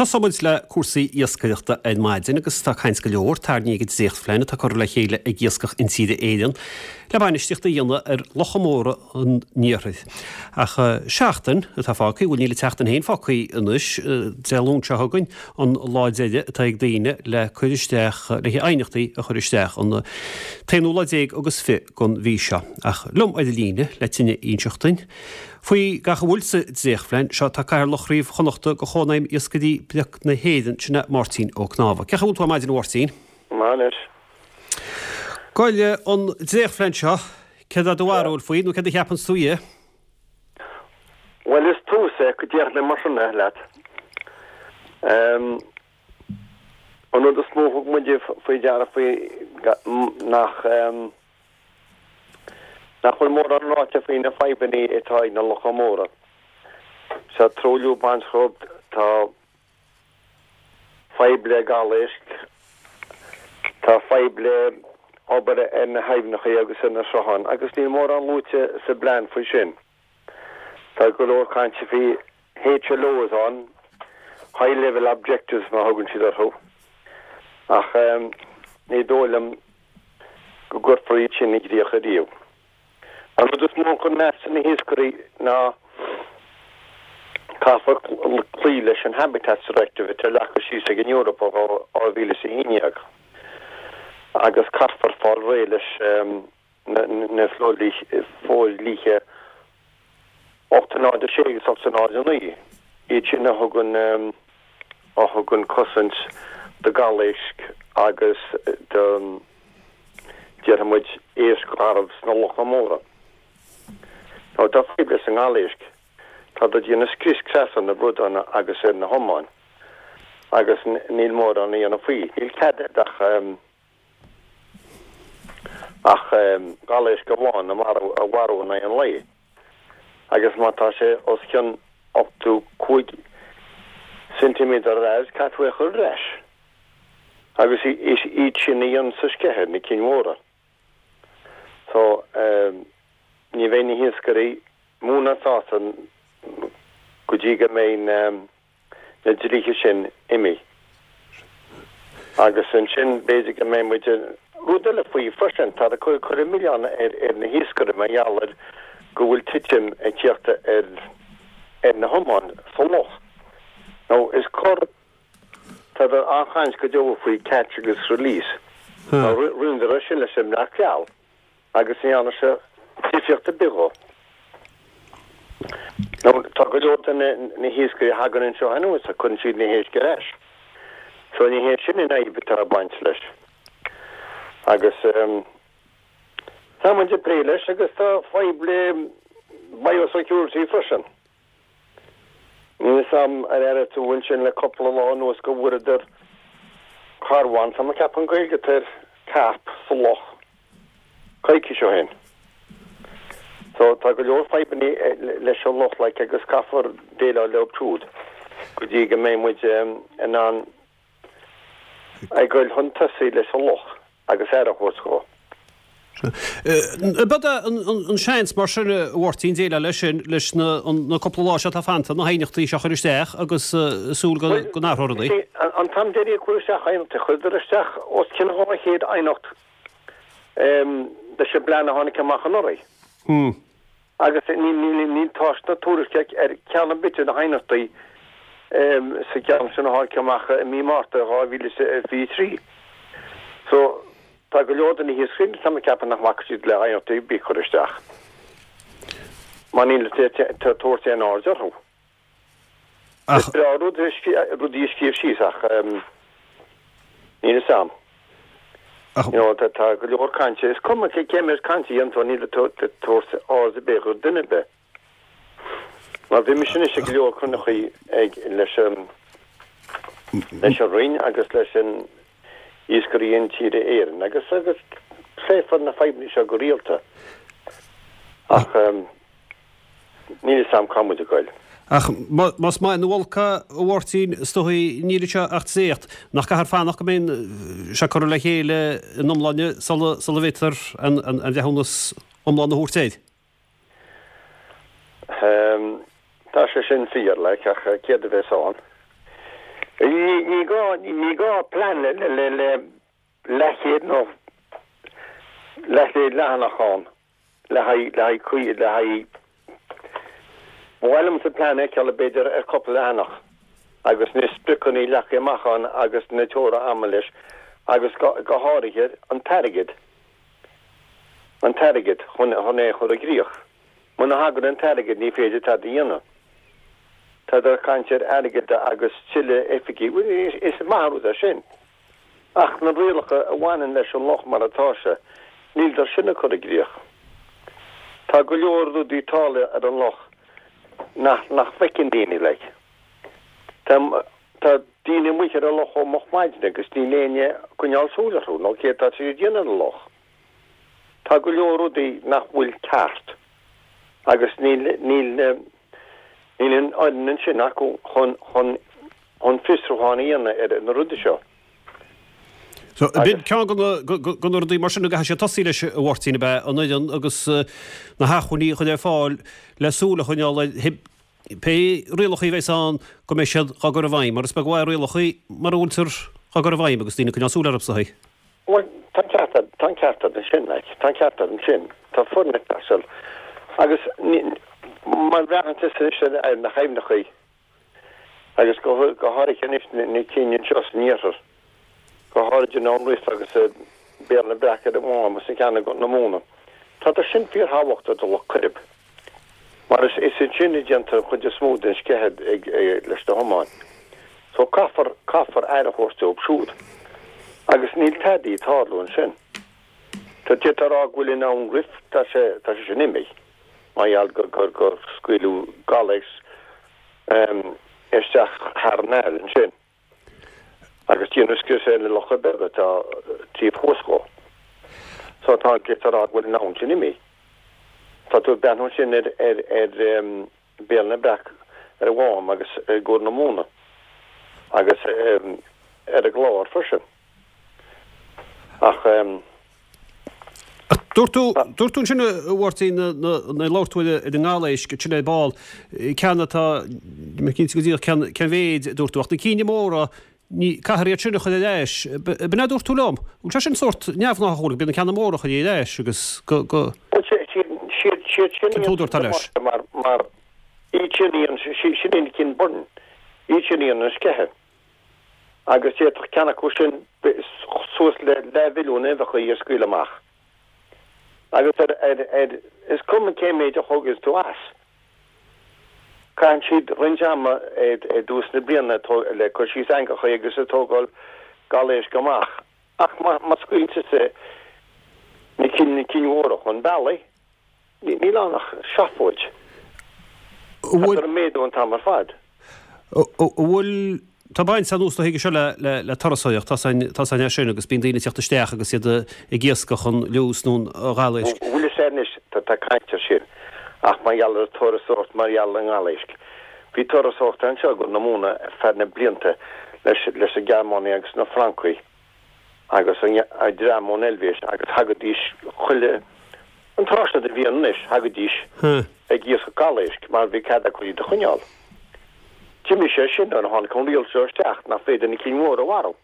Tosóidh muid le cúrsaí iascaireachta ar maidin agus tá caint go leor tarraingthe ag an dréachtphlean atá curtha le chéile ag Iascach Intíre Éireann le bainistíocht a dhéanamh ar locha móra an iarthair. Ach seachtain atá fágtha, bhuel níl an tseachtain féin fágtha anois, Dé Luain seo chugainn an lá deiridh atá ag daoine le cur isteach, le haighneachtaí a chur isteach, an t-aonú lá déag agus 20 den mhí seo. Ach liom ar an líne le tuilleadh a inseacht duinn faoi gach a bhfuil sa dréachtphlean seo tá Cathaoirleach Chraobh Chonnachta de Chónaidhm Iascairí Bric na hÉireann, sin é Máirtín Ó Cnámha. Cén chaoi a bhfuil tú ar maidin a Mháirtín? Maith anois. Bhuel, an dréachtphlean seo, céard é do bharúil faoi nó céard a cheapanns tú dhe? Bhuel, is tús é, go déarfaidh mé mar sin é leat. An rud is mó a thug muid faoi deara faoi nach nach bhfuil mórán ráite faoi na fadhbanna atá ag na locha móra. Tá truailliú ag baint dhóibh, tá fadhb le galéisc, tá fadhb le obair ar na haibhneacha agus ar na srutháin agus níl mórán luaite sa bplean faoi sin. Tá go leor cainte faoi HLOs ann, High Level Objectives mar a thugann siad orthu, ach ní dóigh liom go gcuirfear iad sin i gcrích ariamh. An rud is mó a chuir meas ar na hiascairí ná caithfear cloí leis an Habitats Directive atá leagtha síos ag an Eoraip ó 2011 agus caithfear fáil réidh leis na fodhlíthe 806 agus 809, iad sin a thugann a thugann cosaint do ghalaéisc agus do, déarfaidh muid, éisc gharbh sna locha móra. Nó tá fadhb leis an ngalaéisc, tá ag déanamh scrios creas ar na bradáin agus ar na hiomáin agus níl mórán a dhéanamh faoi. Níl cead ach. ach galaéisc amháin a mharú in aghaidh an lae, agus má tá sé os cionn 85 ceintiméadar ar fhad, caithfidh tú é a chur ar ais. Agus is iad sin a dhéananns an sceitheadh, na cinn mhóra. So, ní bheidh na hiascairí mó ná sásta go dtí go mbeidh na. na dlíthe sin imithe. Agus ansin b'fhéidir go mbeidh muid in. Rud eile faoi freisin, tá ag cur an milleán ar na hiascairí mar gheall ar go bhfuil titim ag tíocht ar ar na hiomáin sa loch. Nó is cor, tá an-chaint go deo faoi catch agus release. Rinneadar é sin leis an mbreac geal. agus ní dhearna sé difríocht ar bith dhó. Nó tá go leor de na hiascairí a thagann anseo anuas a cuireann siad na héisc ar ais. So ní hé sin an fhadhb atá ag baint leis. Agus tá muid ag plé leis agus tá fadhb le biosecurity freisin. Níl 'fhios a'm ar airigh tú ansin le cúpla lá anuas go bhfuaireadar carbhán, tá mé ag ceapadh an Gaeilge atá air, carp sa loch coicís ó shin. So tá go leor fadhbanna leis an loch like agus caithfear déileáil leo siúd go dtí go mbeidh muid in ann ag goil chun tosaigh leis an loch agus aire a thabhairt dhó. Ab é an seans mar sin, a Mháirtín, déileáil leis sin leis na cúpla lá seo atá fanta, na haighneachtaí seo a chur isteach agus súil go n-athróidh rudaí? An t-am deiridh a cuireadh isteach aighneachtaí, chuireadar isteach os cionn 200 aighneacht leis an bplean a tháinig amach anuraidh. Agus níl tásc ná tuairisc ar cheann ar bith de na haighneachtaí sa gceann sin a tháinig amach i mí Márta 2023. So, tá go leor de na hiascairí, tá mé ag ceapadh nach mbacfaidh siad le haighneachtaí ar bith a chur isteach mar níl ag tabhairt aon aird orthu. Is breá rudaí a scríobh síos ach níl fhios a'm. You know, tá go leor cainte, is cuma cé méid cainte a dhéanann tú, níl tú ag tabhairt aird ar bith do dhuine ar bith. Mar bhí mise anois ag go leor cruinnithe ag leis an leis an Roinn agus leis an Iascairí Intíre Éireann agus agus pléifear na fadhbanna seo go rialta. Ach Níl fhios a'm cá muid ag goil. Ach más maith nó olc é, a Mháirtín, is dóigh níl anseo ach dréacht. Nach gcaithfear fanacht go mbeidh sé curtha le chéile ina iomláine sula bhféadfar an breithiúnas iomlán a thabhairt air? Tá sé sin fíor, like, ach céard a bheas ann? Ní gá, ní gá plean le le leathchéad nó leathchéad leathanach ann le haghaidh, le haghaidh caoi, le haghaidh, ba mhaith liomsa plean a fheiceáil b'fhéidir ar cúpla leathanach agus na spriocanna leagtha amach ann agus na teora ama leis agus go, go háirithe an t-airgead, an t-airgead chun, chun é a chur i gcrích. Muna thagann an t-airgead ní féidir tada a dhéanamh. Tádar ag caint ar airgead agus tuilleadh oifigí, bhuel is maith an rud é sin. Ach na rialacha a bhaineann leis an loch mar atá sé, níldar sin á cur i gcrích. Tá go leor rudaí ag tarlú ar an loch nach nach bhfeiceann daoine like. Tá tá daoine amuigh ar an loch ó moch maidne agus níl éinne ag coinneáil súil orthu nó céard tá siad ag déanamh ar an loch. Tá go leor rudaí nach bhfuil ceart agus níl níl níl an fhoireann ansin acu chun chun chun fiosrúchán a dhéanamh ar na rudaí seo. So, b'in ceann de na rudaí mar sin a gcaithfidh siad tosaí leis, a Mháirtín, ab ea an fhoireann agus na hacmhainní a chur ar fáil le súil a choinneáil ar pé rialacha a bheas ann go mbeidh siad á gcur i bhfeidhm, mar is beag an mhaith rialacha mura bhfuiltear á gcur i bhfeidhm agus daoine ag coinneáil súil orthu sa. Bhuel, tá an ceart agat, tá an ceart agat ansin, like, tá an ceart agat ansin. Tá foireann ag teastáil. Agus má bhreathnaíonn tusa anois ar na haibhneacha agus go háirithe anois na cinn anseo san iarthar, go háirid an Abhainn Rif agus Béal na Breac ar an Mhám agus an ceann i gCorr na Móna, tádar sin fíorthábhachtach do Loch Coirib mar is ansin a déantar an chuid is mó den sceitheadh leis na hiomáin. So caithfear, caithfear aire a thabhairt dóibh siúd. Agus níl tadaí ag tarlú ansin. Tá, d'fhéadfá a rá go bhfuil an Abhainn Rif, tá sé, tá sé sin imithe mar gheall gur, gur, gur scaoileadh galaos isteach thar an aill ansin. Agus déanadh scrios ar na locha beaga atá taobh thuas dhó. So tá, d'fhéadfá a rá go bhfuil an abhainn sin imithe. Tá tú ag breathnú ansin ar, ar, ar Béal na Breac ar an Mhám agus i gCorr na Móna agus ar an gClár freisin. Ach. Dúirt tú, dúirt tú ansin a Mháirtín, nuair a labhair tú ar an ngalaéisc, ansin ar ball, ceann atá, níl mé cinnte go díreach cén, cén mhéid a dúirt tú, ach na cinn móra, ní, caithfear iad sin a chur ar ais. B'in é a dúirt tú liom? Bhfuil sé sin sórt neamhghnáthach, bhfuil, bíonn na ceanna móra a chur ar ais agus go, go. Bhuel, siad, siad sin Cén t-údar atá leis? mar, mar, iad sin iad, sin iad na cinn bhuirne, iad sin iad an sceitheadh. agus d'fhéadfadh ceann acu sin suas le leathmhilliún uibheacha a scaoileadh amach. Agus ar, ar, ar, is cuma cé méid a thógas tú as, caitheann siad roinnt ama i dtús na bliana le cur síos eangacha agus ag tógáil galaéisc amach. Ach má, má scaoileann tusa na cinn, na cinn mhóra chun bealaigh, Níl ann ach seafóid. Tá ag méadú an t-am ar fad. An bhfuil, tá baint anuas do chuige seo le le turasóireacht, tá a fhios againn é sin agus bíonn daoine ag teacht isteach agus iad ag iascach an liús nó an ghalaéisc. Bhfuil fhios agat anois, tá caint air sin ach mar gheall ar an turasóireacht, mar gheall ar an ngalaéisc. Bhí turasóireacht anseo i gCorr na Móna ar feadh na blianta leis leis na Gearmánaigh agus na Francaigh. agus an dream ón Eilvéis agus thagaidís chuile, an tráth seo de bhliain anois, thagaidís ag iascach galaéisc mar bhí cead acu iad a choinneáil. D'imigh sé sin nuair a tháinig an riail seo isteach nach féidir na cinn mhóra a mharú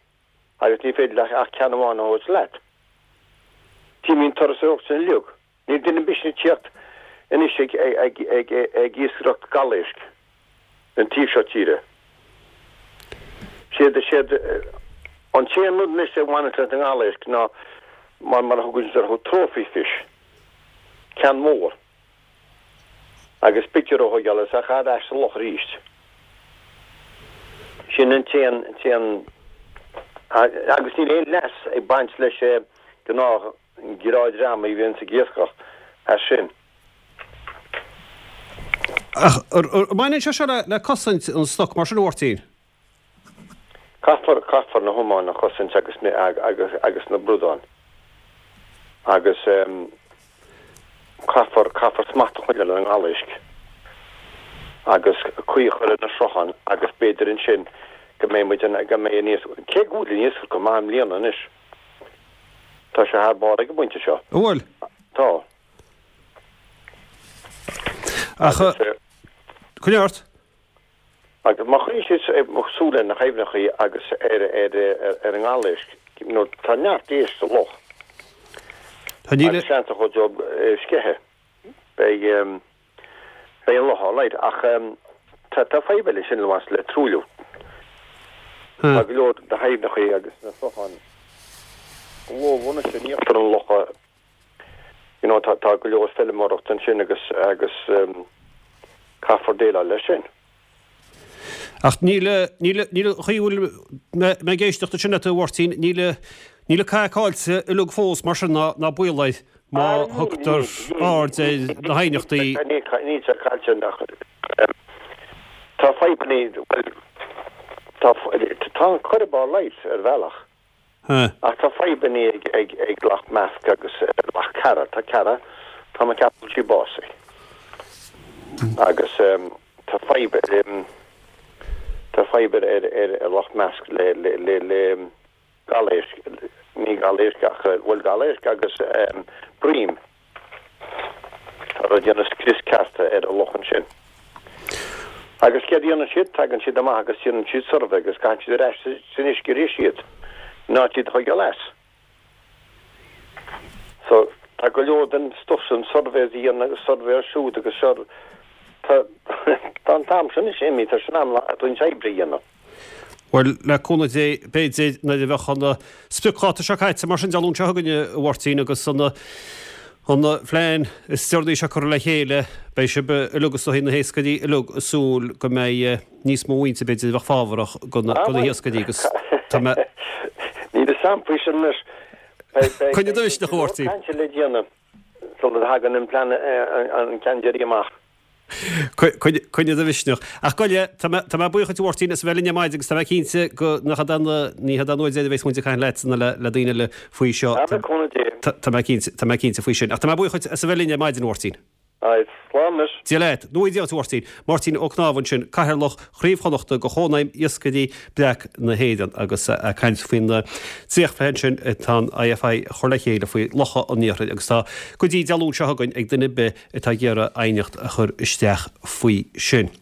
agus ní féidir leat ach ceann amháin a thabhairt leat. D'imigh an turasóireacht sin uilig. Níl duine ar bith ag tíocht anois ag iascaireacht galaéisc an taobh seo tíre. Siad siad an t-aon rud anois a bhaineann leis an ngalaéisc ná mar mar a thugann siad orthu trophy fish, ceann mór agus pictiúr a thógáil is é a chur ar ais sa loch arís. Sin an t-aon t-aon agus níl aon leas ag baint leis gnáth An gnáthdhream a bhíonns ag iascach as sin. Ach an mbaineann sé seo le cosaint an stoc mar sin, a Mháirtín? Caithfear, caithfear na hiomáin a chosaint agus na, agus, agus na bradáin. Agus caithfear, caithfear smacht a choinneáil ar an ngalaéisc agus caoi a chur ar na srutháin agus b'fhéidir ansin go mbeidh muid in, go mbeidh an iasc, cé go bhfuil an iascach go maith i mbliana anois. Tá sé thar barr ag an bpointe seo. An bhfuil? Tá. Ach, coinnigh ort. Agus má choinníonn siad súil ar na haibhneacha agus ar ar an ngalaéisc, you know, tá neart éisc sa loch. Agus seans ar chuid díobh sceitheadh. Beidh beidh an loch alright ach tá tá fadhb eile ansin le le truailliú. Tá go leor de haibhneacha agus na srutháin go mhór anois in íochtar an locha you know tá tá go leor feilméarachta ansin agus agus caithfear déileáil leis sin. Ach níl, níl, níl an chaoi a bhfuil mé ag éisteacht ansin leat a Mháirtín, níl, níl an cath caillte uilig fós mar sin ná, ná baol air má thugtar aird ar na haighneachtaí. Níl, níl sé caillte ach tá fadhbanna, bhuel, tá, tá an Coirib alright ar bhealach. Ach tá fadhbanna ag Loch Measc agus Loch Ceara. Tá Ceara, tá mé ag ceapadh go bhfuil sí básaithe. Agus tá fadhb ar, tá fadhb ar ar Loch Measc le le le le galéisc, ní galéisc ach, bhuel galéisc agus broim. Tá ag déanamh scrios ceart ar an loch ansin. Agus céard a dhéanann siad? Tagann siad amach agus déanann siad suirbhé agus caitheann siad ar ais san uisce arís iad, in áit iad a choinneáil as. So, tá go leor den stuff sin, surveys a dhéanamh agus suirbhé air siúd agus seo, tá, tá an t-am sin anois imithe, tá sé in am roinnt oibre a dhéanamh. Bhuel, le cúnamh Dé, b'fhéidir, nuair a bheadh an spriocdháta seo caite mar sin Dé Luain seo chugainn, a Mháirtín, agus an an phlean is deireanaí seo curtha le chéile, beidh sibh uilig is dóigh, na hiascairí uilig, ag súil go mbeidh níos mó muintir, b'fhéidir, a bheadh fábharach do na hiascairí agus tá mé. Níl a fhios a'm faoi sin anois. Coinnigh do mhisneach, a Mháirtín. Beidh caint le déanamh sula dtagann an plean an ceann deiridh amach. Coinnigh do mhisneach. Ach gabh i leith, tá mé, tá mé buíoch duit a Mháirtín as a bheith linn ar maidin agus tá mé cinnte go nach iad an, ní hiad an uair deiridh a bheas muid ag caint leat ná le, le daoine eile faoi seo. Tá, le cúnamh Dé. Tá mé cinnte, tá mé cinnte faoi sin. Ach tá mé buíoch duit as a bheith linn ar maidin, a Mháirtín. Right, slán anois. Dia leat. Nó Dia duit, a Mháirtín. Máirtín Ó Cnámha ansin, Cathaoirleach Chraobh Chonnachta de Chónaidhm Iascairí Breac na hÉireann agus ag caint faoin dréachtphlean sin atá an IFI a chur le chéile faoi Locha an Iarthair agus tá go dtí Dé Luain seo chugainn ag duine ar bith atá ag iarraidh aighneacht a chur isteach faoi sin.